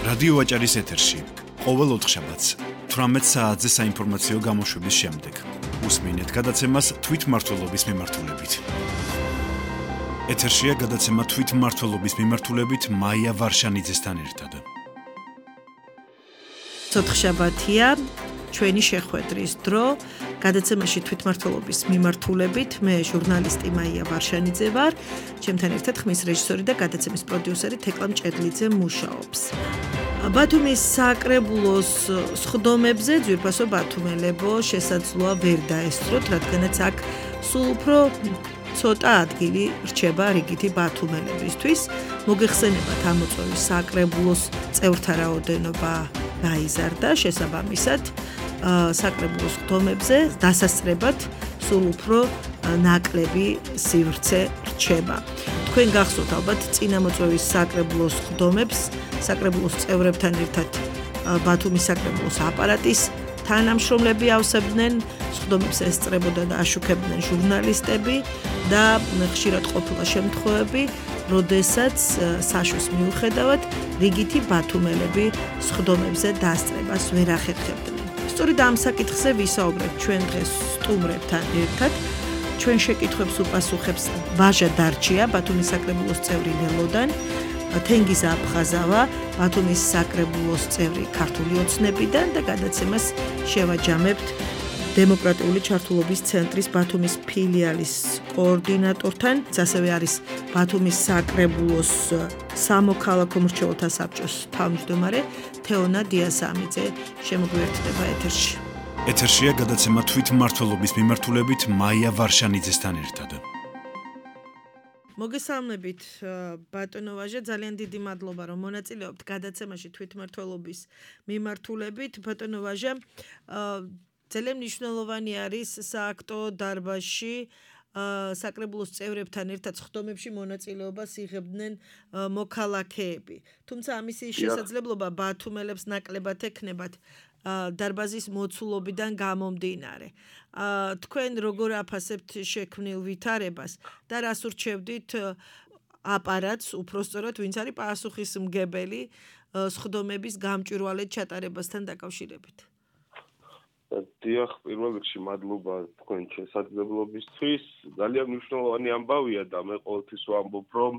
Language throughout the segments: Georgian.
რადიო ვაჭარის ეთერში ყოველ ოთხშაბათს 18 საათზე საინფორმაციო გამოშვების შემდეგ უსმინეთ გადაცემას თვითმმართველობის მიმართულებით. ეთერშია გადაცემა თვითმმართველობის მიმართულებით მაია ვარშანიძესთან ერთად. ოთხშაბათია ჩვენი შეხვედრის დრო გადაცემაში თვითმმართველობის მიმართულებით მე ჟურნალისტი მაია ვარშანიძე ვარ, ჩემთან ერთად ხმის რეჟისორი და გადაცემის პროდიუსერი თეკლა მჭედლიძე მუშაობს. ბათუმის საკრებულოს სხდომებზე ძვირფასო ბათუმელებო შესაძლოა ვერ დაესწროთ, რადგანაც აქ სულ უფრო ცოტა ადგილი რჩება რიგითი ბათუმელებისთვის. მოგეხსენებათ ამოწვევის საკრებულოს წევრთა რაოდენობა გაიზარდა, შესაბამისად საკრებულოს სხდომებზე დასასწრებად სულ უფრო ნაკლები სივრცე რჩება. თქვენ გახსოვთ ალბათ წინამოწვევის საკრებულოს სხდომებს საკრებულოს წევრებთან ერთად ბათუმის საკრებულოს აპარატის თანამშრომლები ავსებდნენ, სხდომებს ესწრებოდა და აშუქებდნენ ჟურნალისტები და ხშირად ყოფილა შემთხვევები, როდესაც საშუს მიუხედავად რიგითი ბათუმელები სხდომებზე დასწრებას ვერ ახერხებდნენ. სწორედ ამ საკითხზე ვისაუბრებთ ჩვენ დღეს სტუმრებთან ერთად. ჩვენ შეკითხვებს უპასუხებს ვაჟა დარჩია, ბათუმის საკრებულოს წევრი ლელოდან, თენგიზ აფხაზავა, ბათუმის საკრებულოს წევრი ქართული ოცნებიდან და გადაცემას შევაჯამებთ დემოკრატიული ჩართულობის ცენტრის ბათუმის ფილიალის კოორდინატორთან, ასევე არის ბათუმის საკრებულოს სამოქალაქო მრჩეველთა საბჭოს თავმჯდომარე თეონა დიასამიძე შემოგვიერთდება ეთერში. ეთერშია გადაცემა თვითმმართველობის მიმართულებით მაია ვარშანიძესთან ერთად. მოგესალმებით ბატონო ვაჟა, ძალიან დიდი მადლობა რომ მონაწილეობთ გადაცემაში თვითმმართველობის მიმართულებით. ბატონო ვაჟა, ძალიან მნიშვნელოვანი არის სააქტო დარბაზში საკრებულოს წევრებთან ერთად სხდომებში მონაწილეობას იღებდნენ მოქალაქეები. თუმცა ამისი შესაძლებლობა ბათუმელებს ნაკლებად ექნებათ დარბაზის მოცულობიდან გამომდინარე. თქვენ როგორ აფასებთ შექმნილ ვითარებას და რას ურჩევდით აპარატს, უпроსწორად ვინც არის პასუხისმგებელი სხდომების გამჭვირვალედ ჩატარებასთან დაკავშირებით? დიახ, პირველ რიგში მადლობა თქვენ შესაძლებლობისთვის. ძალიან მნიშვნელოვანი ამბავია და მე ყოველთვის ვამბობ, რომ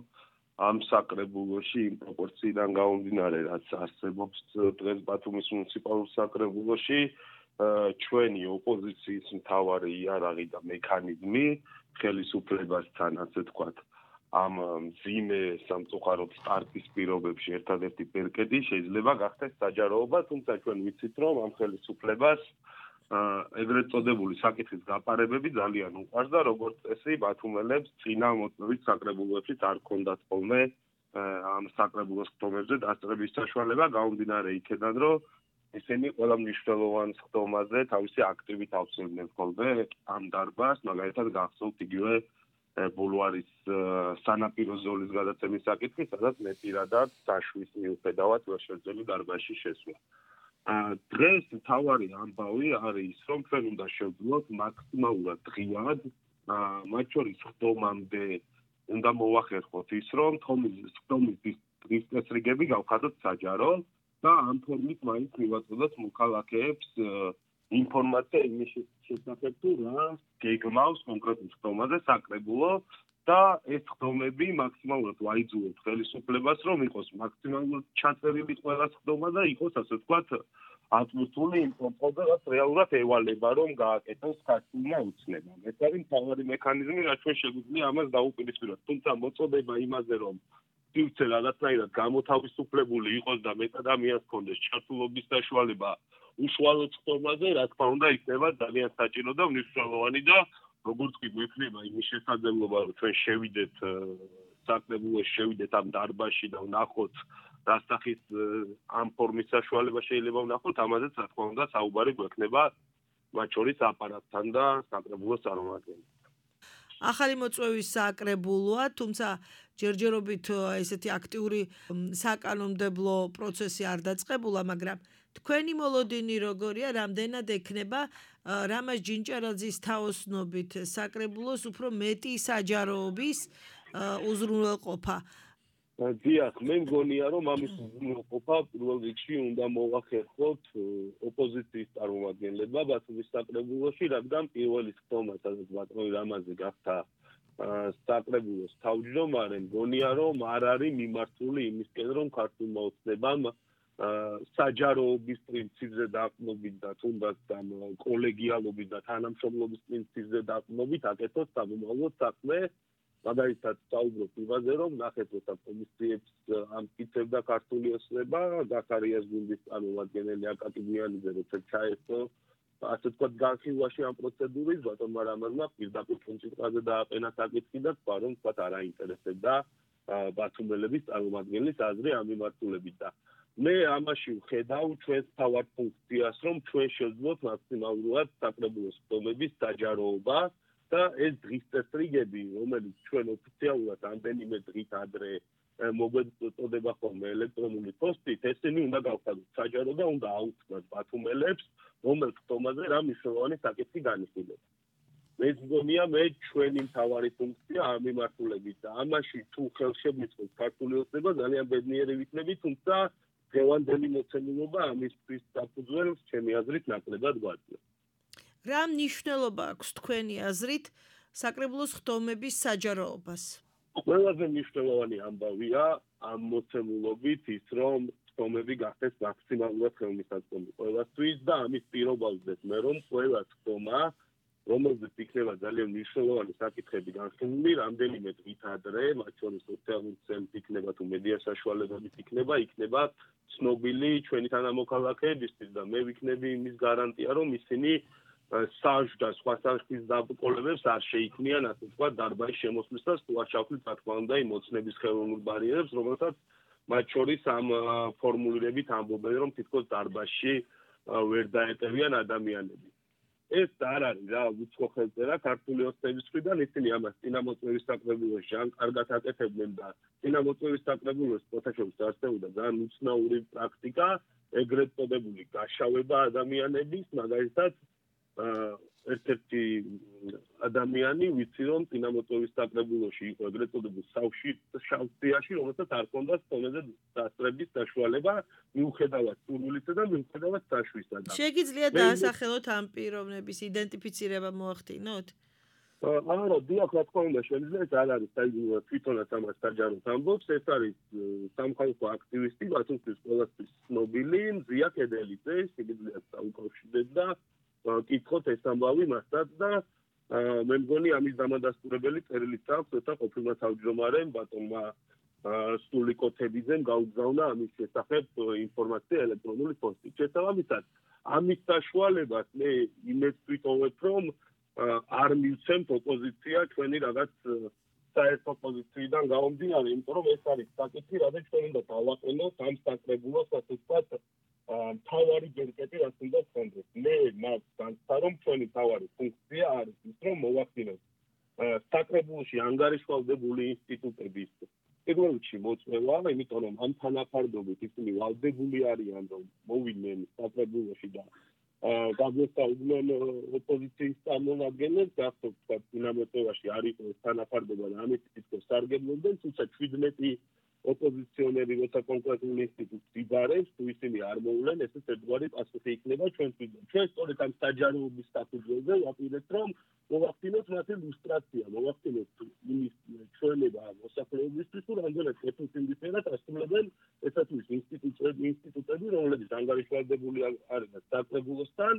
ამ საკრებულოში იმ პროპორციიდან გამომდინარე, რაც არსებობს დღეს ბათუმის მუნიციპალურ საკრებულოში, ჩვენი ოპოზიციის მთავარი იარაღი და მექანიზმი ხელისუფლებასთან, ასე ვთქვათ, ამ მძიმე სამწუხაროდ სტარტის პირობებში ერთადერთი ბერკეტი შეიძლება გახდეს საჯაროობა, თუმცა ჩვენ ვიცით, რომ ამ ხელისუფლებას ეგრეთ წოდებული საკითხის გაპარებები ძალიან უყვარს და როგორც წესი ბათუმელებს წინამოწვევის საკრებულოებშიც არ ჰქონდათ ხოლმე ამ საკრებულოს სხდომებზე დასწრების საშუალება, გამომდინარე იქედან, რომ ისინი ყველა მნიშვნელოვან სხდომაზე თავისი აქტივით ავსებდნენ ხოლმე ამ დარბაზს, მაგალითად გახსოვთ იგივე ბულვარის სანაპირო ზოლის გადაცემის საკითხი, სადაც მე პირადად საშუის მიუხედავად ვერ შეძლო დარბაზში შესვლა. დღეს მთავარი ამბავი არის, რომ ჩვენ უნდა შევძლოთ მაქსიმალურად ღიად, მათ შორის სხდომამდე უნდა მოვახერხოთ ის, რომ სხდომის დღის წესრიგები გავხადოთ საჯარო და ამ ფორმით მაინც მივაწოდოთ მოქალაქეებს ინფორმაცია იმის შესახებ, თუ რა გეგმავს კონკრეტულ სხდომაზე საკრებულო და ეს სხდომები მაქსიმალურად ვაიძულოთ ხელისუფლებას, რომ იყოს მაქსიმალურად ჩაწერილი ყველა სხდომა და იყოს, ასე ვთქვათ, აწმართული იმ პროპოზალზე, რაც რეალურად ევალება, რომ გააკეთოს ქართულმა უცნებამ. ეს არის მთავარი მექანიზმი, რაც ჩვენ შეგვიძლია ამას დაუპირისპიროთ. თუმცა მოწოდება იმაზე, რომ სივრცე რაღაცნაირად გამოთავისუფლებული იყოს და მეტ ადამიანს ჰქონდეს ჩართულობის საშუალება უშუალოდ სხდომაზე, რა თქმა უნდა, იქნება ძალიან საჭირო და მნიშვნელოვანი და როგორც კი გვექნება იმის შესაძლებლობა, რომ ჩვენ შევიდეთ საკრებულოში, შევიდეთ ამ დარბაზში და ვნახოთ რა სახის ამ ფორმის საშუალება შეიძლება ვნახოთ, ამაზეც რა თქმა უნდა საუბარი გვექნება მათ შორის აპარატთან და საკრებულოს წარმომადგენლებთან. ახალი მოწვევის საკრებულოა, თუმცა ჯერჯერობით ესეთი აქტიური საკანონმდებლო პროცესი არ დაწყებულა, მაგრამ თქვენი მოლოდინი როგორია, რამდენად ექნება რამაზ ჯინჭარაძის თაოსნობით საკრებულოს უფრო მეტი საჯაროობის უზრუნველყოფა. დიახ, მე მგონია რომ ამის უზრუნველყოფა პირველ რიგში უნდა მოვახერხოთ ოპოზიციის წარმომადგენლებმა ბათუმის საკრებულოში, რადგან პირველი ხტომა, სადაც ბატონი რამაზი გახდა საკრებულოს თავმჯდომარე, მგონია რომ არ არის მიმართული იმისკენ, რომ ქართულმა ოცნებამ საჯაროობის პრინციპზე დაყრდნობით და თუნდაც კოლეგიალობის და თანამშრომლობის პრინციპზე დაყრდნობით აკეთოს სამომავლოდ საქმე. მაგალითად, საუბრობ იმაზე, რომ ნახეთ, როცა კომისიებს ამტკიცებდა ქართული ოცნება, ზაქარიას გუნდის წარმომადგენელი აკაკი გვიანიძე, როცა ჩაერთო, ასე ვთქვათ, განხილვაში ამ პროცედურის, ბატონმა რამაზმა პირდაპირ კონცენტრაზე დააყენა საკითხი და თქვა, რომ თქვათ არ აინტერესებდა ბათუმელების წარმომადგენლის აზრი ამ მიმართულებით და მე ამაში ვხედავ ჩვენს თავარ ფუნქციას, რომ ჩვენ შევძლოთ მაქსიმალურად საკრებულოს ხტომების დაჯაროობა და ეს დღის წესრიგები, რომელიც ჩვენ ოფიციალურად ამდენიმე დღით ადრე მოგვეწოდება ხოლმე ელექტრონული პოსტით, ესენი უნდა გავხადოთ საჯარო და უნდა აუწყნათ ბათუმელებს, რომელ ხტომაზე რა მნიშვნელოვანი საკითხი განიხილება. მე მგონია მე ჩვენი მთავარი ფუნქცია ამ მიმართულებით და ამაში თუ ხელშემიწყოს ქართული ოცნება ძალიან ბედნიერი ვიქნები, თუმცა დღევანდელი მოცემულობა ამისთვის საფუძველს ჩემი აზრით ნაკლებად გვაძლევს. რა მნიშვნელობა აქვს თქვენი აზრით საკრებულოს ხტომების საჯაროობას? ყველაზე მნიშვნელოვანი ამბავია ამ მოცემულობით ის, რომ ხტომები გახდეს მაქსიმალურად ხელმისაწვდომი ყველასთვის და ამის პირობა ვზეთ მე, რომ ყველა ხტომა, რომელზეც იქნება ძალიან მნიშვნელოვანი საკითხები განხილული, რამდენიმე დღით ადრე, მათ შორის სოციალური ქსელით იქნება თუ მედია საშუალებებით იქნება ცნობილი ჩვენი თანამოქალაქეებისთვის და მე ვიქნები იმის გარანტია, რომ ისინი საჟ და სხვა სახის დაბრკოლებებს არ შეიქმნიან, ასე ვთქვათ, დარბაზის შემოსვლისას თუ არ ჩავხლით, რა თქმა უნდა, იმ ოცნების ხელოვნურ ბარიერებს, რომელთაც მათ შორის ამ ფორმულირებით ამბობენ, რომ თითქოს დარბაზში ვერ დაეტევიან ადამიანები. ეს არ არის რა უცხო ხელწერა ქართული ოცნების მხრიდან, ისინი ამას წინამოწმევის საკრებულოში ან კარგად აკეთებდნენ და წინამოწმევის საკრებულოს ფოთაშორის არსებობდა ძალიან უცნაური პრაქტიკა, ეგრეთ წოდებული გაშავება ადამიანების, მაგალითად ერთ-ერთი ადამიანი, ვიცი რომ წინამოწმევის საკრებულოში იყო ეგრეთ წოდებულ შავშიაში, რომელსაც არ ჰქონდა ხტომაზე დასწრების საშუალება, მიუხედავად სურვილისა და მიუხედავად საშვისა. შეგიძლიათ დაასახელოთ ამ პიროვნების იდენტიფიცირება მოახდინოთ? არა, დიახ, რა თქმა უნდა, შეიძლება ეს არ არის თვითონაც ამას საჯაროდ ამბობს, ეს არის სამხალხო აქტივისტი, ბათუმის ყველასთვის ცნობილი მზია კედელიძე, შეგიძლიათ დაუკავშირდეთ და კითხოთ ეს ამბავი მასაც და მე მგონი ამის დამადასტურებელი წერილიც აქვს, როცა ყოფილმა თავმჯდომარემ ბატონმა სტულიკოთებიძემ გაუგზავნა ამის შესახებ ინფორმაცია ელექტრონული პოსტით. შესაბამისად, ამის საშუალებას მე იმედს ვიტოვებ, რომ არ მივცემთ ოპოზიცია ჩვენი რაღაც საერთო პოზიციიდან გამომდინარე, იმიტომ რომ ეს არის საკითხი, რადგან ჩვენ უნდა დავაყენოთ ამ საკრებულოს, ასე ვთქვათ, მთავარი გერკეტი, რაც უნდა გქონდეს. მე მას განცდა, რომ ჩვენი მთავარი ფუნქცია არის ის, რომ მოვახდინოთ საკრებულოში ანგარიშვალდებული ინსტიტუტების პირველ რიგში მოწვევა, იმიტომ რომ ამ თანაფარდობით ისინი ვალდებული არიან, რომ მოვიდნენ საკრებულოში და გაგვესწავლდნენ ოპოზიციის წარმომადგენლებს, გახსოვთ, თქვათ, წინამოწმევაში არ იყო ეს თანაფარდობა და ამით თითქოს სარგებლობდნენ, თუმცა 17 ოპოზიციონერი, როცა კონკრეტულ ინსტიტუტს იბარებს, თუ ისინი არ მოვლენ, ესეც ერთგვარი პასუხი იქნება ჩვენთვისაც. ჩვენ სწორედ ამ საჯაროობის საფუძველზე ვაპირებთ, რომ მოვახდინოთ მათი ლუსტრაცია, მოვახდინოთ იმის ჩვენება მოსახლეობისთვის, თუ რამდენად ეფექტიურად ასრულებენ ესეთის ინსტიტუტები, რომლებიც ანგარიშვალდებული არიან საკრებულოსთან,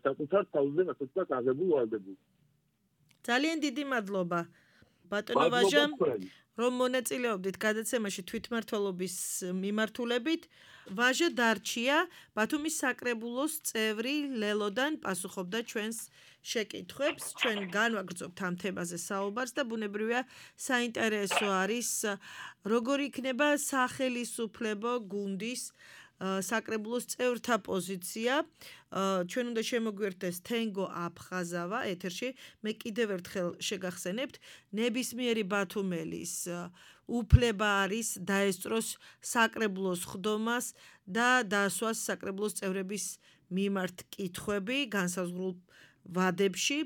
საკუთარ თავზე, ასე ვთქვათ, აღებულ ვალდებულებას. ძალიან დიდი მადლობა ბატონო ვაჟა, რომ მონაწილეობდით გადაცემაში თვითმმართველობის მიმართულებით. ვაჟა დარჩია, ბათუმის საკრებულოს წევრი ლელოდან პასუხობდა ჩვენს შეკითხვებს. ჩვენ განვაგრძობთ ამ თემაზე საუბარს და ბუნებრივია საინტერესო არის, როგორ იქნება სახელისუფლებო გუნდის საკრებულოს წევრთა პოზიცია. ჩვენ უნდა შემოგვიერთდეს თენგო აფხაზავა ეთერში. მე კიდევ ერთხელ შეგახსენებთ, ნებისმიერი ბათუმელის უფლება არის დაესწროს საკრებულოს ხდომას და დაასვას საკრებულოს წევრების მიმართ კითხვები განსაზღვრულ ვადებში.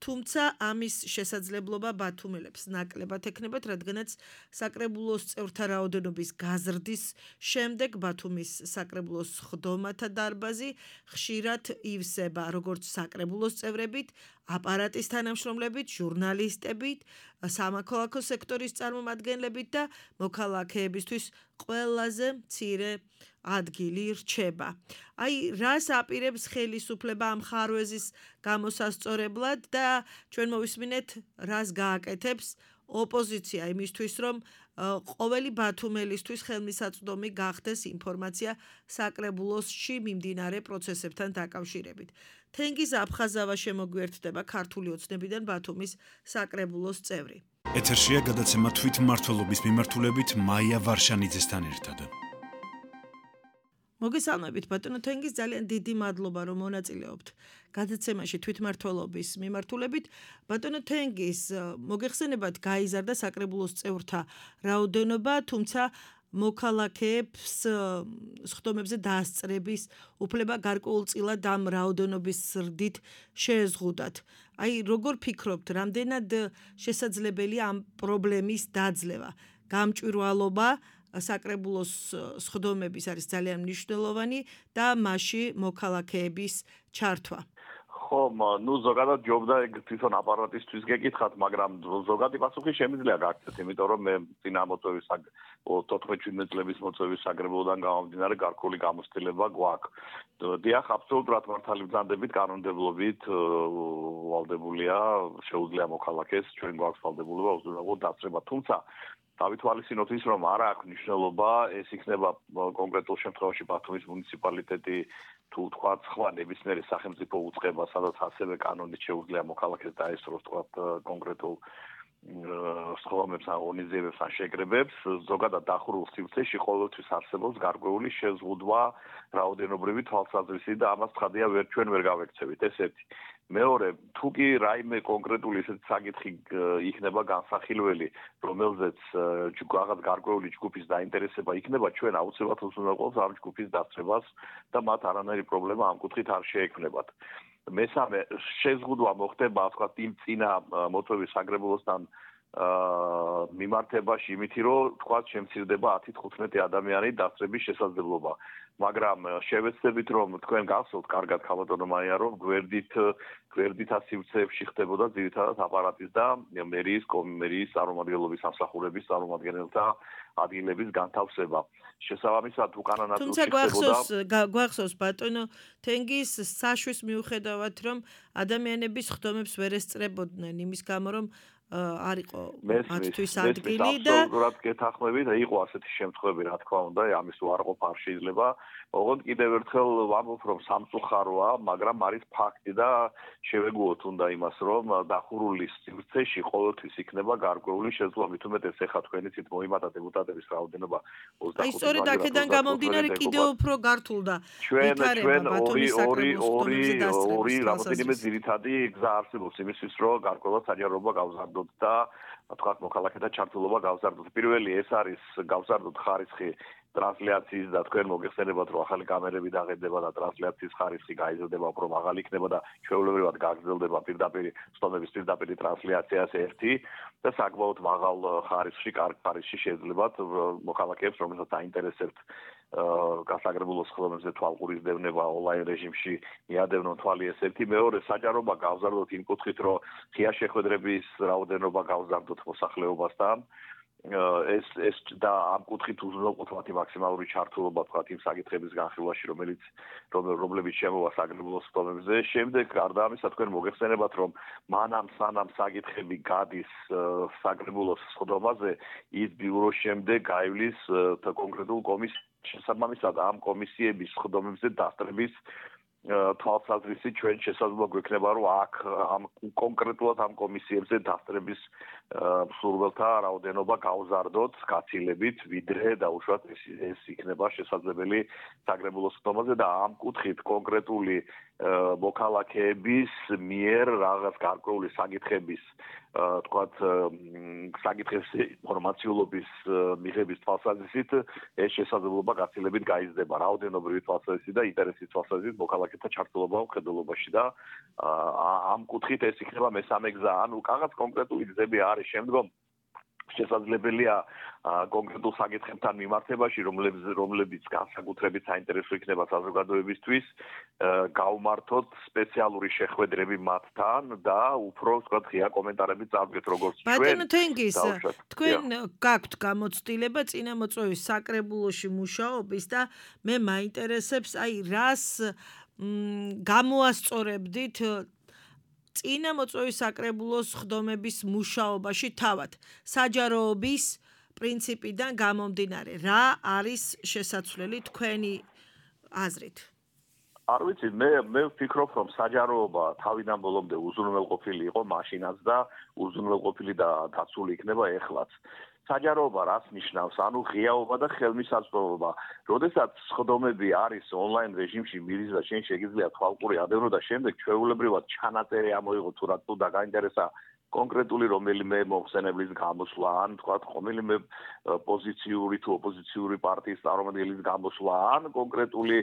თუმცა ამის შესაძლებლობა ბათუმელებს ნაკლებად ექნებათ, რადგანაც საკრებულოს წევრთა რაოდენობის გაზრდის შემდეგ ბათუმის საკრებულოს ხდომათა დარბაზი ხშირად ივსება როგორც საკრებულოს წევრებით, აპარატის თანამშრომლებით, ჟურნალისტებით, სამოქალაქო სექტორის წარმომადგენლებით და მოქალაქეებისთვის ყველაზე მცირე ადგილი რჩება. Აი, რას აპირებს ხელისუფლება ამ ხარვეზის გამოსასწორებლად და ჩვენ მოვისმინეთ, რას გააკეთებს ოპოზიცია იმისთვის, რომ ყოველი ბათუმელისთვის ხელმისაწვდომი გახდეს ინფორმაცია საკრებულოსში მიმდინარე პროცესებთან დაკავშირებით. თენგიზ აფხაზავა შემოგვიერთდება ქართული ოცნებიდან ბათუმის საკრებულოს წევრი. ეთერშია გადაცემა თვითმმართველობის მიმართულებით მაია ვარშანიძესთან ერთად. მოგესალმებით ბატონო თენგიზ, ძალიან დიდი მადლობა რომ მონაწილეობთ გადაცემაში თვითმმართველობის მიმართულებით. ბატონო თენგიზ, მოგეხსენებათ გაიზარდა საკრებულოს წევრთა რაოდენობა, თუმცა მოქალაქეებს სხდომებზე დაასწრების უფლება გარკვეულწილად ამ რაოდენობის ზრდით შეეზღუდათ. Აი, როგორ ფიქრობთ, რამდენად შესაძლებელია ამ პრობლემის დაძლევა? გამჭვირვალობა საკრებულოს სხდომების არის ძალიან მნიშვნელოვანი და მასში მოქალაქეების ჩართვა. ხომ, ზოგადად ჯობდა ეგ თვითონ აპარატისთვის გეკითხათ, მაგრამ ზოგადი პასუხი შემიძლია გაქცეთ, იმიტომ რომ მე წინა მოწვევის 14-17 წლების მოწვევის საკრებულოდან გამომდინარე გარკვეული გამოცდილება გვაქვს. დიახ, აბსოლუტურად მართალი ბრძანდებით, კანონმდებლობით ვალდებულია, შეუძლია მოქალაქეს, ჩვენ გვაქვს ვალდებულება უზრუნველყო დასწრება, თუმცა დავითვალისწინოთ ის, რომ არა აქვს მნიშვნელობა, ეს იქნება კონკრეტულ შემთხვევაში ბათუმის მუნიციპალიტეტი თუ თქვა სხვა ნებისმიერი სახელმწიფო უწყება, სადაც ასევე კანონით შეუძლია მოქალაქეს დაესწროს თქვა კონკრეტულ სხდომებს ან ღონისძიებებს ან შეკრებებს, ზოგადად დახურულ სივრცეში ყოველთვის არსებობს გარკვეული შეზღუდვა რაოდენობრივი თვალსაზრისით და ამას ცხადია ჩვენ ვერ გავექცევით, ეს ერთი. მეორე, თუ კი რაიმე კონკრეტული ესეთი საკითხი იქნება განსახილველი, რომელზეც რაღაც გარკვეული ჯგუფის დაინტერესება იქნება, ჩვენ აუცილებლად უზრუნველყოფს ამ ჯგუფის დასწრებას და მათ არანაირი პრობლემა ამ კუთხით არ შეექმნებათ. მესამე, შეზღუდვა მოხდება, თქვა, იმ წინა მოწვევის საკრებულოსთან მიმართებაში იმითი, რომ თქვა, შემცირდება 10-15 ადამიანი დასწრების შესაძლებლობა. მაგრამ შევეცდებით, რომ თქვენ გახსოვთ კარგად ხალხო მაია, რომ გვერდითა სივრცეებში ხდებოდა ძირითადად აპარატის და მერიის წარმომადგენლობის სამსახურების წარმომადგენელთა ადგილების განთავსება. შესაბამისად, უკანა ნაწილში ხდებოდა. გვახსოვს ბატონო თენგიზ საშვის მიუხედავად, რომ ადამიანები სხდომებს ვერ ესწრებოდნენ იმის გამო, რომ არ იყო მათთვის ადგილი და აბსოლუტურად გეთანხმებით, იყო ასეთი შემთხვევები, რა თქმა უნდა, ამის უარყოფა არ შეიძლება. ოღონდ კიდევ ერთხელ ვამბობ, რომ სამწუხაროა, მაგრამ არის ფაქტი და შევეგუოთ უნდა იმას, რომ დახურული სივრცეში ყოველთვის იქნება გარკვეული შეზღუდვა, მით უმეტეს ეხლა თქვენი ცით მოიმატა დეპუტატების რაოდენობა 25. აი, სწორედ აქედან გამომდინარე კიდევ უფრო გართულდა. ჩვენ ორი რამდენიმე ძირითადი გზა არსებობს იმისთვის, რომ გარკვეულად საჯაროობა გავზარდოთ და თქვათ მოქალაქეთა ჩართულობა გავზარდოთ. პირველი ეს არის გავზარდოთ ხარისხი ტრანსლაციის და თქვენ მოგეხსენებათ, რომ ახალი კამერები დაღედება და ტრანსლაციის ხარისხი გაიზრდება, უფრო მაღალი იქნება და ჩვეულებრივად გაგრძელდება სხდომების პირდაპირი ტრანსლაციას ერთი და საკმაოდ მაღალ ხარისხში, კარგ ხარისხში შეძლებათ მოქალაქეებს, რომელსაც აინტერესებთ გასაგრებულოს სხდომებზე თვალყურის დევნება ონლაინ რეჟიმში მიადევნონ თვალი ეს ერთი. მეორე, საჯაროობა გავზარდოთ იმ კუთხით, რომ ღია შეხვედრების რაოდენობა გავზარდოთ მოსახლეობასთან. ეს და ამ კუთხით უზრუნველყოფთ მაქსიმალური ჩართულობა თქვათ იმ საკითხების განხილვაში, რომლებიც შემოვა საკრებულოს სხდომებზე. შემდეგ გარდა ამისა თქვენ მოგეხსენებათ, რომ მანამ სანამ საკითხები გადის საკრებულოს სხდომაზე, ის ბიუროს შემდეგ გაივლის კონკრეტულ კომისიას. შესაბამისად ამ კომისიების სხდომებზე დასწრების თვალსაზრისით ჩვენ შესაძლოა გვექნება, რომ აქ ამ კონკრეტულად ამ კომისიებზე დასწრების მსურველთა რაოდენობა გავზარდოთ გაცილებით, ვიდრე დაუშვათ ეს იქნება შესაძლებელი საგრებულოს ხდომაზე და ამ კუთხით კონკრეტული მოქალაქეების მიერ რაღაც გარკვეული საკითხების თქვათ საკითხების ინფორმაციულობის მიღების თვალსაზრისით ეს შესაძლებლობა გაცილებით გაიზრდება რაოდენობრივი თვალსაზრისით და ინტერესის თვალსაზრისით მოქალაქეთა ჩართულობა მხედველობაში და ამ კუთხით ეს იქნება მესამე გზა ანუ რაღაც კონკრეტული გზები არის შემდგომ შესაძლებელია კონკრეტულ საკითხებთან მიმართებაში რომლებიც განსაკუთრებით საინტერესო იქნება საზოგადოებისთვის გავმართოთ სპეციალური შეხვედრები მათთან და უფრო ვთქვათ ღია კომენტარები წავდგეთ როგორც ჩვენ ბატონო თენგის თქვენ გაქვთ გამოცდილება წინამოწვევის საკრებულოში მუშაობის და მე მაინტერესებს აი რას გამოასწორებდით წინამოწვევის საკრებულოს ხდომების მუშაობაში თავად საჯაროობის პრინციპიდან გამომდინარე რა არის შესაძლებელი თქვენი აზრით არ ვიცი მე ვფიქრობ რომ საჯაროობა თავიდან ბოლომდე უზრუნველყოფილი იყო მაშინაც და უზრუნველყოფილი და დაცული იქნება ეხლაც საჯაროობა რას ნიშნავს? ანუ ღიაობა და ხელმისაწვდომობა. როდესაც სხდომები არის ონლაინ რეჟიმში მირიზა შენ შეგიძლია თვალყური ადევნო და შემდეგ ჩვეულებრივად ჩანაწერი ამოიღო თუ რა თუ დაგაინტერესა კონკრეტული რომელიმე მოხსენებლის გამოსვლა ან თქვა რომელიმე პოზიციური თუ ოპოზიციური პარტიის წარმომადგენლის გამოსვლა ან კონკრეტული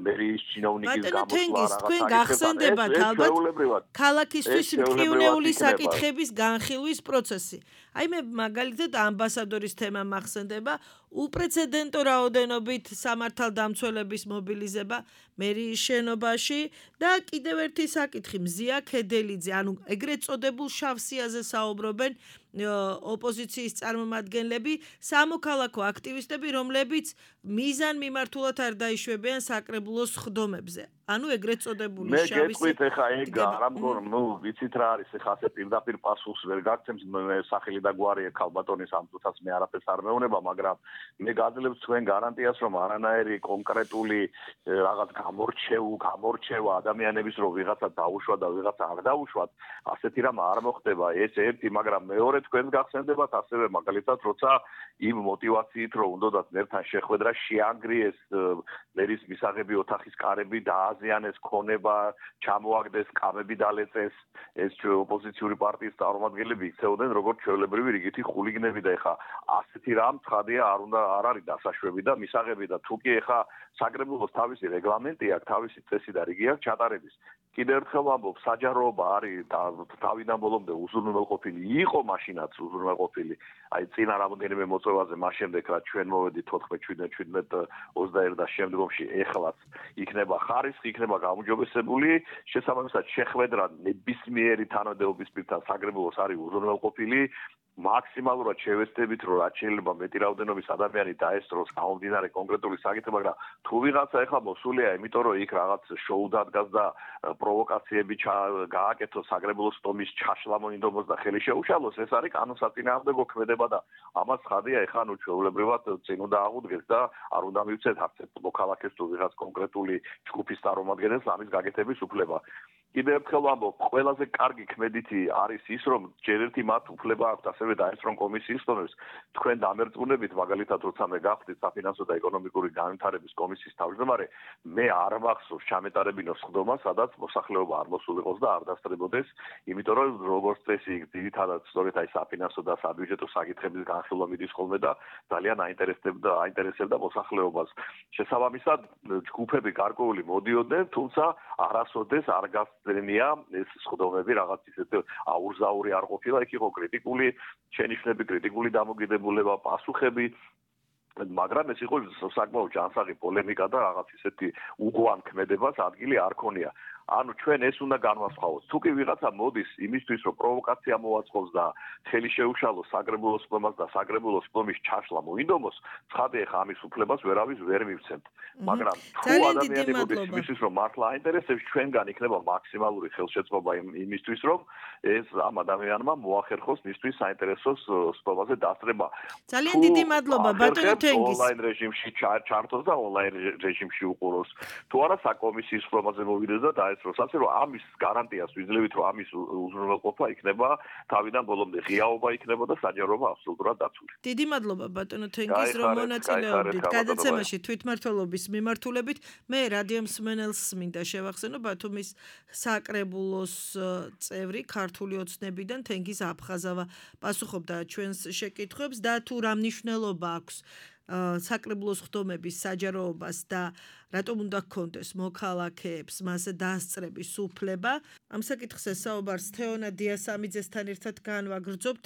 მერიის ჩინოვნიკის გამოსვლა თქვენ გახსენდებათ ალბათ ქალაქისთვის მკივნეული საკითხების განხილვის პროცესი აი მე მაგალითად ამბასადორის თემა მახსენდება უპრეცედენტო რაოდენობით სამართალდამცველების მობილიზება მერიის შენობაში და კიდევ ერთი საკითხი მზია ქედელიძე ანუ ეგრეთ წოდებულ შავსიაზე საუბრობენ ოპოზიციის წარმომადგენლები სამოქალაქო აქტივისტები რომლებიც მიზან მიმართულად არ დაიშვებიან საკრებულოს ხდომებზე ანუ ეგრეთ წოდებული შავსი მე გეტყვით ეხა ეგ არამგორ ვიცით რა არის ეხა ასე პირდაპირ პასუხს ვერ გაგცემს მე სახელი და გვარი ქალბატონის ამ წუთას მე არაფერს არ მეუნება მაგრამ მე გაძლევს თქვენ გარანტიას რომ არანაირი კონკრეტული რაღაც გამორჩევა ადამიანების რომ ვიღაცა დაუშვა და ვიღაცა არ დაუშვათ ასეთი რამ არ მოხდება ეს ერთი მაგრამ მეორე თქვენ გახსენდებათ ასევე მაგალითად როცა იმ мотивაციით რომ უნდათ მერთან შეხვედრა შეანგრიეს მერის მისაღები ოთახის კარები დააზიანეს ქონება ჩამოაგდეს კამები დალეწეს ეს ოპოზიციური პარტიის წარმომადგენლები იქცეოდნენ როგორც ჩვეულებრივი რიგითი ხულიგნები და ეხა ასეთი რამ ცხადია არ არის დასაშვები და მისაღები და თუკი ეხა საკრებულოს თავისი რეგლამენტი აქვს თავისი წესი და რიგი აქვს ჩატარების კიდევ ერთხელ ვამბობ საჯაროობა არის თავიდან ბოლომდე უზრუნველყოფილი იყო მაშინაც უზრუნველყოფილი აი წინა რამდენიმე მოწვევაზე მას შემდეგ რაც ჩვენ მოვედით 14-17-21 და შემდგომში ეხლაც იქნება ხარისხი იქნება გაუმჯობესებული შესაბამისად შეხვედრა ნებისმიერი თანამდებობის პირთან საკრებულოს არის უზრუნველყოფილი მაქსიმალურად შევეცდებით რომ რაც შეიძლება მეტი რაოდენობის ადამიანი დაესწროს გამომდინარე კონკრეტული საკითხი მაგრამ თუ ვიღაცა ეხლა მოსულია იმიტომ რომ იქ რაღაც შოუ დადგას და პროვოკაციები გააკეთოს საკრებულოს ხდომის ჩაშლა მოინდომოს და ხელი შეუშალოს ეს არის კანონსაწინააღმდეგო ქმედება და ამას ხადია ეხლა ნუ ჩვეულებრივად წინ უნდა აღუდგეს და არ უნდა მივცეთ არც ერთ მოქალაქეს თუ ვიღაც კონკრეტული ჯგუფის წარმომადგენელს ამის გაკეთების უფლება კიდევ ერთხელ ვამბობ ყველაზე კარგი ქმედითი არის ის რომ ჯერ ერთი მათ უფლება აქვს ასევე დაესწრონ კომისიის ხდომებს თქვენ დამერწმუნებით მაგალითად როცა მე გავხდით საფინანსო და ეკონომიკური განვითარების კომისიის თავმჯდომარე მე არ მახსოვს ჩამეტარებინოს ხდომა სადაც მოსახლეობა არ მოსულიყოს და არ დასწრებოდეს იმიტომ რომ როგორც წესი ძირითადად სწორედ აი საფინანსო და საბიუჯეტო საკითხების განხილვა მიდის ხოლმე და ძალიან აინტერესებდა მოსახლეობას შესაბამისად ჯგუფები გარკვეული მოდიოდნენ თუმცა არასოდეს არ გასწრენია ეს ხდომები რაღაც ისეთ აურზაური არ ყოფილა იქ იყო კრიტიკული შენიშვნები კრიტიკული დამოკიდებულება პასუხები მაგრამ ეს იყო საკმაოდ ჯანსაღი პოლემიკა და რაღაც ისეთი უგვან ქმედებას ადგილი არ ქონია ანუ ჩვენ ეს უნდა განვასხვაოთ. თუ კი ვიღაცა მოდის იმისთვის, რომ პროვოკაცია მოაწყოს და ხელი შეუშალოს საკრებულოს ხდომას და საკრებულოს ხდომის ჩაშლა მოინდომოს, ცხადია ხა ამის უფლებას ვერავის ვერ მივცემთ. მაგრამ თუ ადამიანი მოდის იმისთვის, რომ მართლა აინტერესებს, ჩვენგან იქნება მაქსიმალური ხელშეწყობა იმისთვის, რომ ეს ამ ადამიანმა მოახერხოს მისთვის საინტერესოს ხდომაზე დასწრება. ძალიან დიდი მადლობა ბატონო თენგის. ონლაინ რეჟიმში ჩართოს და ონლაინ რეჟიმში უყუროს. თუ არა საკომისიის ხდომაზე მოვიდეს და ეს რომ ასე რომ ამის გარანტიას ვიძლევით რომ ამის უზრუნველყოფა იქნება თავიდან ბოლომდე ღიაობა იქნება და საჯაროობა აბსოლუტურად დაცული. დიდი მადლობა ბატონო თენგიზ რომ მონაწილეობდით გადაცემაში თვითმმართველობის მიმართულებით. მე რადიო მსმენელს მინდა შევახსენო ბათუმის საკრებულოს წევრი ქართული ოცნებიდან თენგიზ აფხაზავა პასუხობდა ჩვენს შეკითხვებს და თუ რა მნიშვნელობა აქვს საკრებულოს ხდომების საჯაროობას და რატომ უნდა გქონდეს მოქალაქეებს მასზე დასწრების უფლება. ამ საკითხზე საუბარს თეონა დიასამიძესთან ერთად განვაგრძობთ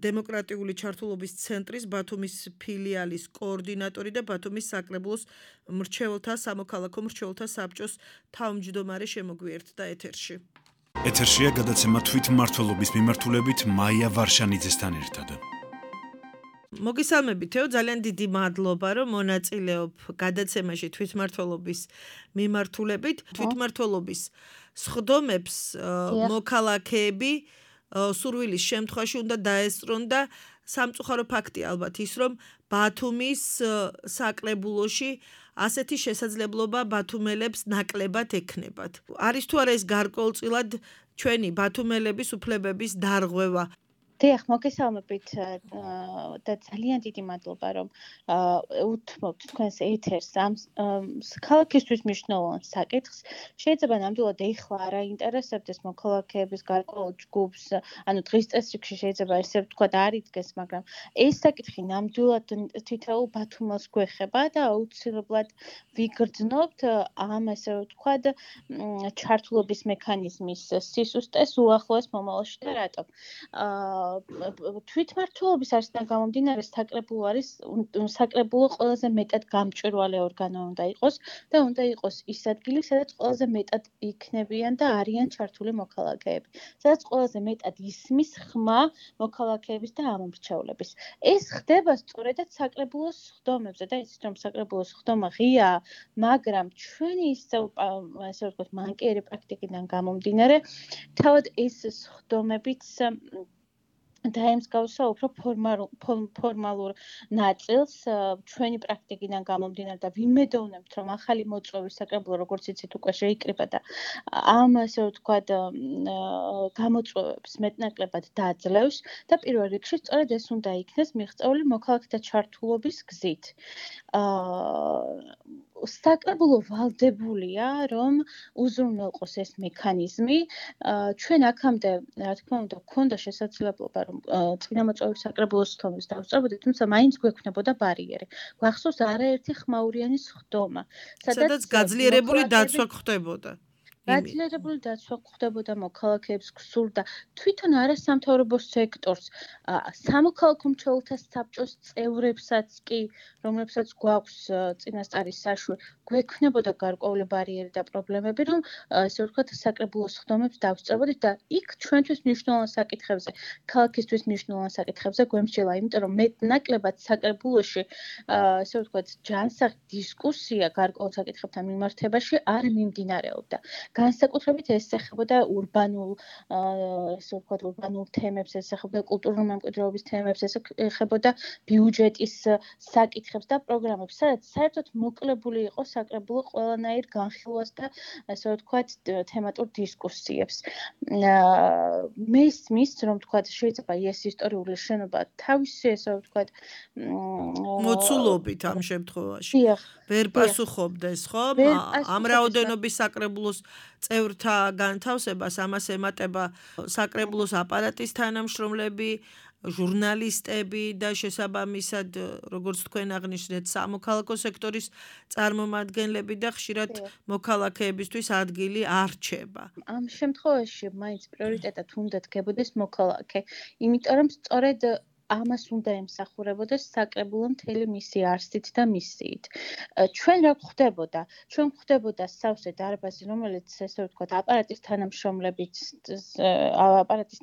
დემოკრატიული ჩართულობის ცენტრის ბათუმის ფილიალის კოორდინატორი და ბათუმის საკრებულოს სამოქალაქო მრჩეველთა საბჭოს თავმჯდომარე შემოგვიერთდა ეთერში. ეთერშია გადაცემა თვითმმართველობის მიმართულებით მაია ვარშანიძესთან ერთად. მოგესალმებით თეო, ძალიან დიდი მადლობა რომ მონაწილეობ გადაცემაში თვითმმართველობის მიმართულებით. თვითმმართველობის სხდომებს მოქალაქეები სურვილის შემთხვევაში უნდა დაესწრონ და სამწუხარო ფაქტია ალბათ ის რომ ბათუმის საკრებულოში ასეთი შესაძლებლობა ბათუმელებს ნაკლებად ექნებათ. არის თუ არა ეს გარკვეულწილად ჩვენი ბათუმელების უფლებების დარღვევა? დიახ, მოგესალმებით და ძალიან დიდი მადლობა რომ უთმობთ თქვენს ეთერს ამ ქალაქისთვის მნიშვნელოვან საკითხს. შეიძლება ნამდვილად ეხლა არ აინტერესებდეს მოქალაქეების გარკვეულ ჯგუფს, ანუ დღის წესრიგში შეიძლება ესე ვთქვათ არ იდგეს, მაგრამ ეს საკითხი ნამდვილად თითოეულ ბათუმელს გვეხება და აუცილებლად ვიგრძნობთ ამ ესე ვთქვათ ჩართულობის მექანიზმის სისუსტეს უახლოეს მომავალში და რატომ? თვითმმართველობის არსიდან გამომდინარე საკრებულო ყველაზე მეტად გამჭვირვალე ორგანო უნდა იყოს და უნდა იყოს ის ადგილი, სადაც ყველაზე მეტად იქნებიან და არიან ჩართული მოქალაქეები, სადაც ყველაზე მეტად ისმის ხმა მოქალაქეების და ამომრჩევლების. ეს ხდება სწორედაც საკრებულოს ხდომებზე და იცით რომ საკრებულოს ხდომა ღიაა, მაგრამ ჩვენი ესე ვთქვათ მანკიერი პრაქტიკიდან გამომდინარე, თავად ეს ხდომებიც დაემსგავსა უფრო ფორმალურ ნაწილს ჩვენი პრაქტიკიდან გამომდინარე და ვიმედოვნებთ რომ ახალი მოწვევის საკრებულო როგორც იცით უკვე შეიკრიბა და ამ ასე ვთქვათ გამოწვევებს მეტნაკლებად დაძლევს და პირველ რიგში სწორედ ეს უნდა იქნეს მიღწეული მოქალაქეთა ჩართულობის გზით. საკრებულო ვალდებულია რომ უზრუნველყოს ეს მექანიზმი. ჩვენ აქამდე რა თქმა უნდა გქონდა შესაძლებლობა რომ წინამოწვევის საკრებულოს ხდომებს დავსწრებოდით, თუმცა მაინც გვექნებოდა ბარიერი. გვახსოვს არაერთი ხმაურიანი ხდომა, სადაც გაძლიერებული დაცვა ხდებოდა. გაძლიერებული დაცვა ხდებოდა მოქალაქეებს გსურდა თვითონ არასამთავრობო სექტორს, სამოქალაქო მრჩეველთა საბჭოს წევრებსაც კი, რომლებსაც გვაქვს წინასწარის საშვე, გვექნებოდა გარკვეული ბარიერი და პრობლემები, რომ ესე ვთქვათ საკრებულოს ხდომებს დავსწრებოდით და იქ ჩვენთვის მნიშვნელოვან საკითხებზე, ქალაქისთვის მნიშვნელოვან საკითხებზე გვემსჯელა, იმიტომ რომ მეტნაკლებად საკრებულოში ესე ვთქვათ ჯანსაღი დისკუსია გარკვეულ საკითხებთან მიმართებაში არ მიმდინარეობდა. განსაკუთრებით ეს ეხებოდა ურბანულ თემებს, ეს ეხებოდა კულტურული მემკვიდრეობის თემებს, ეს ეხებოდა ბიუჯეტის საკითხებს და პროგრამებს, სადაც საერთოდ მოკლებული იყო საკრებულო ყველანაირ განხილვას და ასე ვთქვათ თემატურ დისკუსიებს. მესმის რომ ვთქვათ შეიძლება ეს ისტორიული შენობა თავისი ასე ვთქვათ მოცულობით ამ შემთხვევაში ვერ პასუხობდეს, ხო? ამ რაოდენობის საკრებულოს წევრთა განთავსებას ამას ემატება საკრებულოს აპარატის თანამშრომლები, ჟურნალისტები და შესაბამისად, როგორც თქვენ აღნიშნეთ, სამოქალაქო სექტორის წარმომადგენლები და ხშირად მოქალაქეებისთვის ადგილი არ რჩება. ამ შემთხვევაში მაინც პრიორიტეტად უნდა დგებოდეს მოქალაქე, იმიტომ რომ სწორედ ამას უნდა ემსახურებოდეს საკრებულო მთელი მისი არსით და მისიით. ჩვენ რა გვხდებოდა? ჩვენ გვხდებოდა სავსე დარბაზი, რომელიც ესე ვთქვათ აპარატის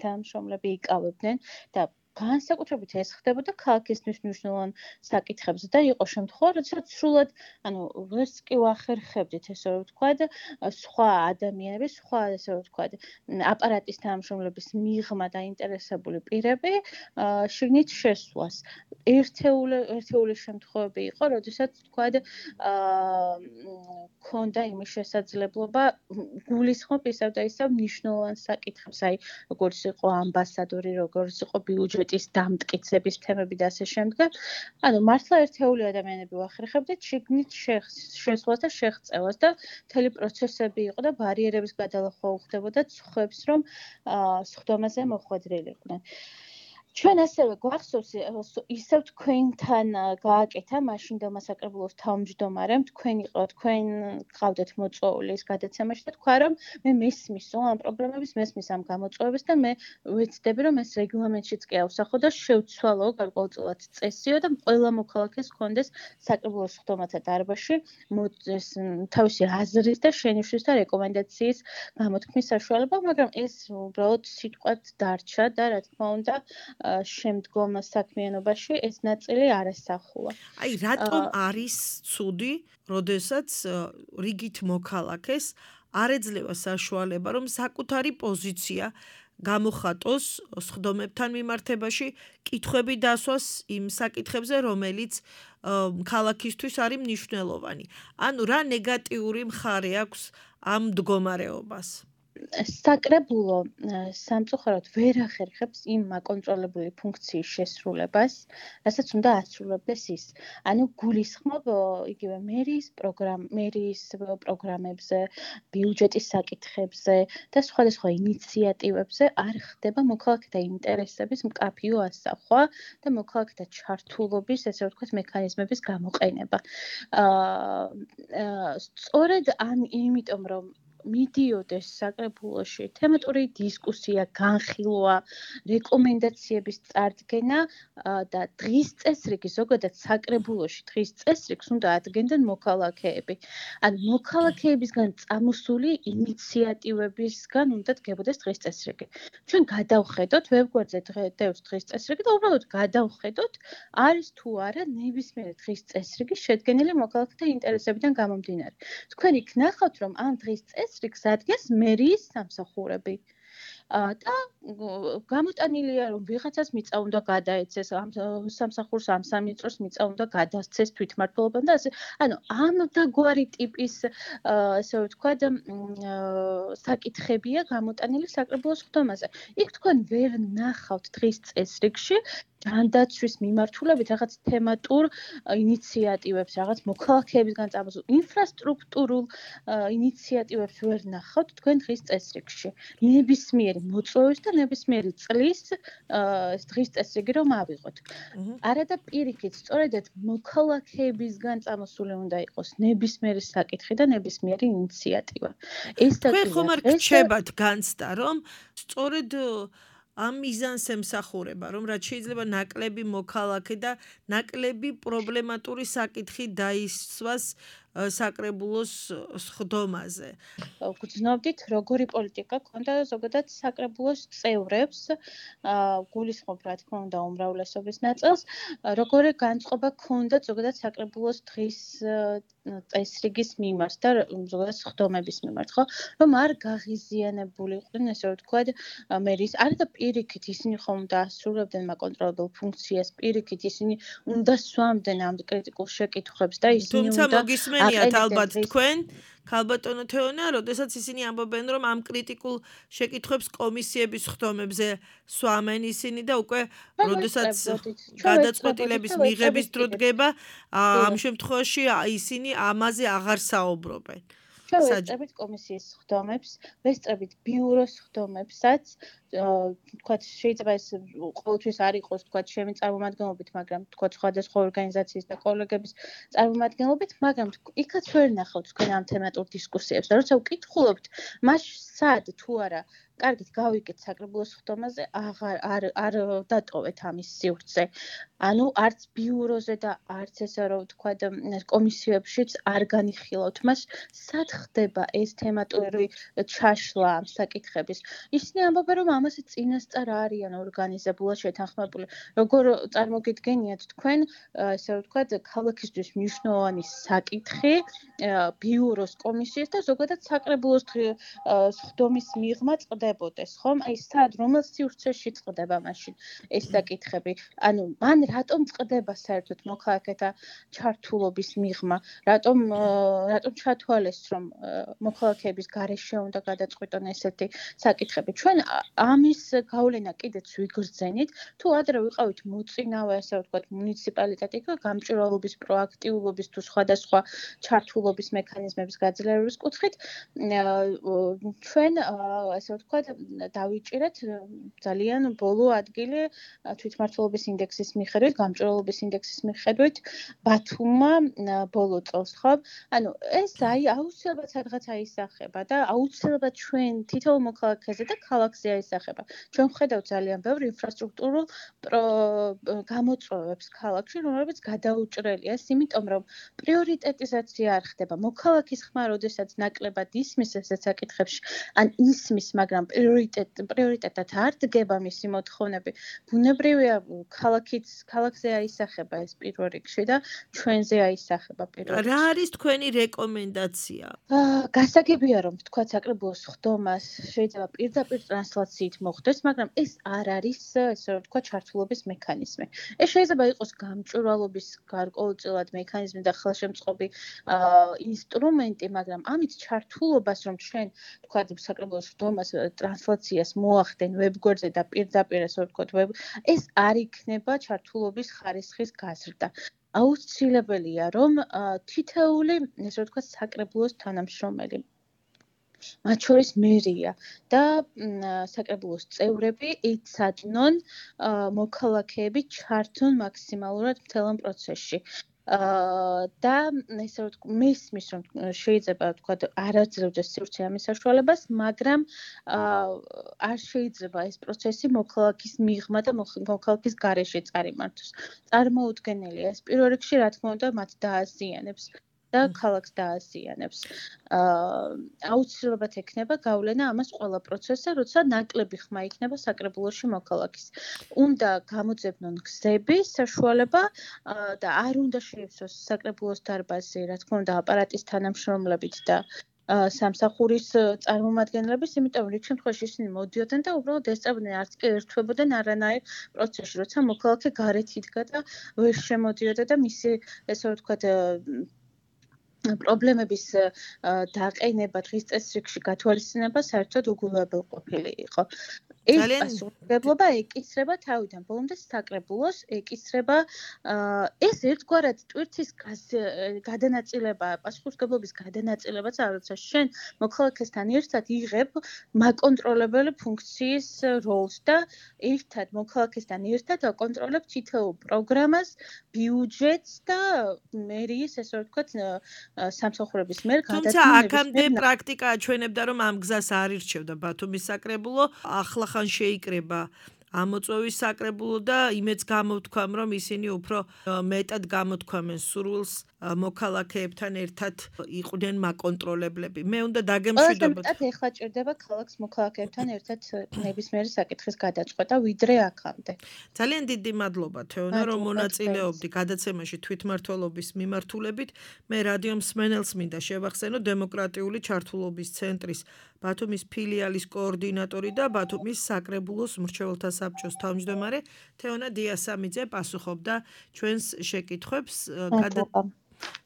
თანამშრომლები იკავებდნენ და განსაკუთრებით ეს ხდებოდა ქალაქისთვის მნიშვნელოვან საკითხებზე და იყო შემთხვევა, როდესაც სრულად, ეს კი ვახერხებდით, ესე რომ ვთქვათ, სხვა ადამიანები, სხვა ესე რომ ვთქვათ, აპარატის თანამშრომლების მიღმა დაინტერესებული პირები შიგნით შესვლას. ერთეული შემთხვევები იყო, როდესაც ვთქვათ, ქონდა იმის შესაძლებლობა გულისხმობ ისევ და ისევ მნიშვნელოვან საკითხებს, როგორც იყო ამბასადორი, როგორც იყო ბიუჯეტის დამტკიცების თემები და ასე შემდეგ. მართლა ერთეული ადამიანები ვახერხებდით შიგნით შესვლას და შეღწევას და მთელი პროცესები იყო და ბარიერების გადალახვა უხდებოდა ცხებს, რომ სხდომაზე მოხვედრილიყვნენ. ჩვენ ასევე გვახსოვს ისევ თქვენთან გააკეთა მაშინდელმა საკრებულოს თავმჯდომარემ, თქვენ გყავდეთ მოწვეული ის გადაცემაში და თქვა, რომ მე მესმისო ამ პროგრამების, მესმის ამ გამოწვევებს და მე ვეცდები, რომ ეს რეგლამენტშიც კი ავსახო და შევცვალო გარკვეულწილად წესიო და ყველა მოქალაქეს ჰქონდეს საკრებულოს სხდომათა დარბაზში თავისი აზრის და შენიშვნის და რეკომენდაციის გამოთქმის საშუალება, მაგრამ ეს უბრალოდ სიტყვად დარჩა და რა თქმა უნდა შემდგომ საქმიანობაში ეს ნაწილი არასახულა. აი, რატომ არის ცუდი, როდესაც რიგით მოქალაქეს არ ეძლევა საშუალება, რომ საკუთარი პოზიცია გამოხატოს სხდომებთან მიმართებაში, კითხვები დასვას იმ საკითხებზე, რომელიც ქალაქისთვის არის მნიშვნელოვანი. ანუ რა ნეგატიური მხარე აქვს ამ მდგომარეობას? საკრებულო სამწუხაროდ ვერ ახერხებს იმ აკონტროლებული ფუნქციის შესრულებას, რასაც უნდა ასრულებდეს ის. გულისხმობ იგივე მერიის პროგრამებზე, ბიუჯეტის საკითხებზე და სხვადასხვა ინიციატივებზე არ ხდება მოქალაქეთა ინტერესების მკაფიო ასახვა და მოქალაქეთა ჩართულობის, ესე ვთქვათ, მექანიზმების გამოყენება. სწორედ იმიტომ რომ მიდიოდეს საკრებულოში თემატური დისკუსია, განხილვა, რეკომენდაციების წარდგენა და დღის წესრიგი, ზოგადად საკრებულოში დღის წესრიგს უნდა ადგენდნენ მოქალაქეები. მოქალაქეებისგან წამოსული ინიციატივებისგან უნდა დგებოდეს დღის წესრიგი. ჩვენ გადავხედოთ ვებგვერდზე დევს დღის წესრიგი და უბრალოდ გადავხედოთ, არის თუ არა ნებისმიერი დღის წესრიგი შედგენილი მოქალაქეთა ინტერესებიდან გამომდინარე. თქვენ იქ ნახავთ, რომ ამ დღის წესრიგს ადგენს მერიის სამსახურები. და გამოტანილია, რომ ვიღაცას მიწა უნდა გადაეცეს, ამ სამსახურს ამ 3 წელს მიწა უნდა გადასცეს თვითმმართველობამ და ასე. ამ დაგვარი ტიპის, ესე ვთქვათ, საკითხებია გამოტანილი საკრებულოს სხდომაზე. იქ თქვენ ვერ ნახავთ დღის წესრიგში ჯანდაცვის მიმართულებით რაღაც თემატურ ინიციატივებს, რაღაც მოქალაქეებისგან წამოსულ ინფრასტრუქტურულ ინიციატივებს ვერ ნახავთ თქვენ დღის წესრიგში. ნებისმიერი მოწვევის და ნებისმიერი წლის დღის წესრიგი რომ ავიღოთ. არადა პირიქით, სწორედად მოქალაქეებისგან წამოსული უნდა იყოს ნებისმიერი საკითხი და ნებისმიერი ინიციატივა. თქვენ ხომ არ გრჩებათ განცდა, რომ სწორედ ამ მიზანს ემსახურება, რომ რაც შეიძლება ნაკლები მოქალაქე და ნაკლები პრობლემატური საკითხი დაისვას საკრებულოს სხდომაზე. გძნობდით, როგორი პოლიტიკა ქონდა ზოგადად საკრებულოს წევრებს, გულისხმობ რა თქმა უნდა უმრავლესობის ნაწილს, როგორი განწყობა ქონდა ზოგადად საკრებულოს დღის წესრიგის მიმართ და ზოგადად სხდომების მიმართ, ხო? რომ არ გაღიზიანებულიყვნენ, ესე ვთქვათ, მერიის არადა პირიქით ისინი ხომ უნდა ასრულებდნენ მაკონტროლებულ ფუნქციას, პირიქით ისინი უნდა სვამდნენ ამ კრიტიკულ შეკითხვებს და ისინი უნდა მოგისმენიათ ალბათ თქვენ, ქალბატონო თეონა, როდესაც ისინი ამბობენ, რომ ამ კრიტიკულ შეკითხვებს კომისიების სხდომებზე სვამენ ისინი და უკვე როდესაც გადაწყვეტილების მიღების დრო დგება, ამ შემთხვევაში ისინი ამაზე აღარ საუბრობენ. ჩვენ ვესწრებით კომისიის სხდომებს, ვესწრებით ბიუროს სხდომებსაც, თქვათ შეიძლება ეს ყოველთვის არ იყოს თქვათ ჩემი წარმომადგენლობით, მაგრამ თქვათ სხვადასხვა ორგანიზაციის და კოლეგების წარმომადგენლობით, მაგრამ იქაც ვერ ნახავთ თქვენ ამ თემატურ დისკუსიებს და როცა ვკითხულობთ, მას სად თუ არა კარგით გავიგეთ საკრებულოს სხდომაზე, არ დატოვეთ ამის სივრცე. არც ბიუროზე და არც ესე რომ ვთქვათ კომისიებშიც არ განიხილავთ მას, სად ხდება ეს თემატური ჩაშლა ამ საკითხების. ისინი ამბობენ, რომ ამ ამაზე წინასწარ არიან ორგანიზებულად შეთანხმებული. Როგორ წარმოგიდგენიათ თქვენ, ესე ვთქვათ, ქალაქისთვის მნიშვნელოვანი საკითხი ბიუროს კომისიის და ზოგადად საკრებულოს სხდომის მიღმა წყდებოდეს, ხომ? აი სად რომელ სივრცეში წყდება მაშინ ეს საკითხები? ანუ მან რატომ წყდება საერთოდ მოქალაქეთა ჩართულობის მიღმა? რატომ ჩათვალეს რომ მოქალაქეების გარეშე უნდა გადაწყვიტონ ესეთი საკითხები? ჩვენ ამის გავლენა კიდეც ვიგრძენით, თუ ადრე ვიყავით მოწინავე, ასე ვთქვათ, მუნიციპალიტეტი გამჭვირვალობის, პროაქტიულობის თუ სხვადასხვა ჩართულობის მექანიზმების გაძლიერების კუთხით, ჩვენ ასე ვთქვათ, დავიჭირეთ ძალიან ბოლო ადგილი თვითმმართველობის ინდექსის მიხედვით, გამჭვირვალობის ინდექსის მიხედვით ბათუმმა ბოლო წელს, ხო? ანუ ეს აუცილებლად სადღაც აისახება და აუცილებლად ჩვენ თითოეულ მოქალაქეზე და ქალაქზე აისახება. ჩვენ ვხედავთ ძალიან ბევრ ინფრასტრუქტურულ გამოწვევებს ქალაქში, რომლებიც გადაუჭრელია, იმიტომ რომ პრიორიტეტიზაცია არ ხდება. მოქალაქის ხმა, როდესაც ნაკლებად ისმის ესეთ საკითხებში, ან ისმის, მაგრამ პრიორიტეტად არ დგება მისი მოთხოვნები. ბუნებრივია, ქალაქზე აისახება ეს პირველ რიგში და ჩვენზე აისახება პირველ რიგში. რა არის თქვენი რეკომენდაცია? გასაგებია რომ თქვა საკრებულოს სხდომას შეიძლება პირდაპირ ტრანსლაციით მოხდეს, მაგრამ ეს არ არის ესე ვთქვა ჩართულობის მექანიზმი. ეს შეიძლება იყოს გამჭვირვალობის გარკვეულწილად მექანიზმი და ხელშემწყობი ინსტრუმენტი, მაგრამ ამით ჩართულობას რომ ჩვენ თქვა საკრებულოს სხდომას ტრანსლაციას მოახდენ ვებგვერდზე და პირდაპირ ესე ვთქვათ ეს არ იქნება ჩართულობის ხარისხის გაზრდა. აუცილებელია რომ თითოეული ესე ვთქვათ საკრებულოს თანამშრომელი მათ შორის მერია და საკრებულოს წევრები იცადნონ მოქალაქეები ჩართონ მაქსიმალურად მთელ ამ პროცესში. და ესე ვთქვათ, მესმის რომ შეიძლება ვთქვათ არ აძლევდეს სივრცე ამის საშუალებას, მაგრამ არ შეიძლება ეს პროცესი მოქალაქის მიღმა და მოქალაქის გარეშე წარიმართოს. წარმოუდგენელია ეს პირველ რიგში, რა თქმა უნდა, მათ დააზიანებს და ქალაქს დააზიანებს. აუცილებლად ექნება გავლენა ამას ყველა პროცესზე, როცა ნაკლები ხმა იქნება საკრებულოში მოქალაქის. უნდა გამოძებნონ გზების საშუალება და არ უნდა შეივსოს საკრებულოს დარბაზი, რა თქმა უნდა, აპარატის თანამშრომლებით და სამსახურის წარმომადგენლების, იმიტომ რიგ შემთხვევაში ისინი მოდიოდნენ და უბრალოდ ესწრებოდნენ, არც კი ერთვებოდნენ არანაირ პროცესში, როცა მოქალაქე გარეთ იდგა და ვერ შემოდიოდა და მისი ესე ვთქვათ პრობლემების დაყენება დღის წესრიგში გათვალისწინება საერთოდ უგულებელყოფილი იყო. ეს პასუხისმგებლობა ეკისრება თავიდან ბოლომდე საკრებულოს, ეკისრება ეს ერთგვარად ტვირთის გადანაწილება, პასუხისმგებლობის გადანაწილებაც როცა შენ მოქალაქესთან ერთად იღებ მაკონტროლებელი ფუნქციის როლს და ერთად მოქალაქესთან ერთად აკონტროლებ თითოეულ პროგრამას, ბიუჯეტს და მერიის ესე ვთქვათ სამსახურების მიერ გადაწყვეტილებას. თუმცა აქამდე პრაქტიკა აჩვენებდა, რომ ამ გზას არ ირჩევდა ბათუმის საკრებულო, ახლა ხან შეიკრება ამოწვევის საკრებულო და იმეც გამოთქვამ, რომ ისინი უფრო მეტად გამოთქვამენ სურვილს მოქალაქეებთან ერთად იყვნენ მაკონტროლებლები. მე უნდა დაგემშვიდობოთ. მეტად ეხლა ჭირდება ქალაქს მოქალაქეებთან ერთად ნებისმიერი საკითხის გადაწყვეტა, ვიდრე აქამდე. ძალიან დიდი მადლობა თეონა, რომ მონაწილეობდი გადაცემაში თვითმმართველობის მიმართულებით. მე რადიო მსმენელს მინდა შევახსენო დემოკრატიული ჩართულობის ცენტრის ბათუმის ფილიალის კოორდინატორი და ბათუმის საკრებულოს მრჩეველთა საბჭოს თავმჯდომარე თეონა დიასამიძე პასუხობდა ჩვენს შეკითხვებს.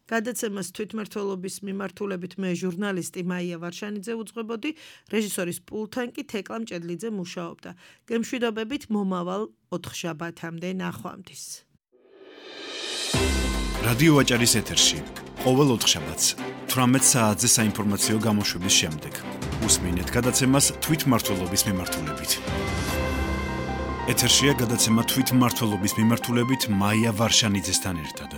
გადაცემას თვითმმართველობის მიმართულებით მე ჟურნალისტი მაია ვარშანიძე უძღვებოდი, რეჟისორის პულტთან კი თეკლა მჭედლიძე მუშაობდა. გემშვიდობებით მომავალ 4 შაბათამდე ნახვამდის. რადიო ვაჭარის ეთერში ყოველ 4 შაბათს 18 საათზე საინფორმაციო გამოშვების შემდეგ უსმინეთ გადაცემას თვითმმართველობის მიმართულებით. ეთერშია გადაცემა თვითმმართველობის მიმართულებით მაია ვარშანიძესთან ერთად.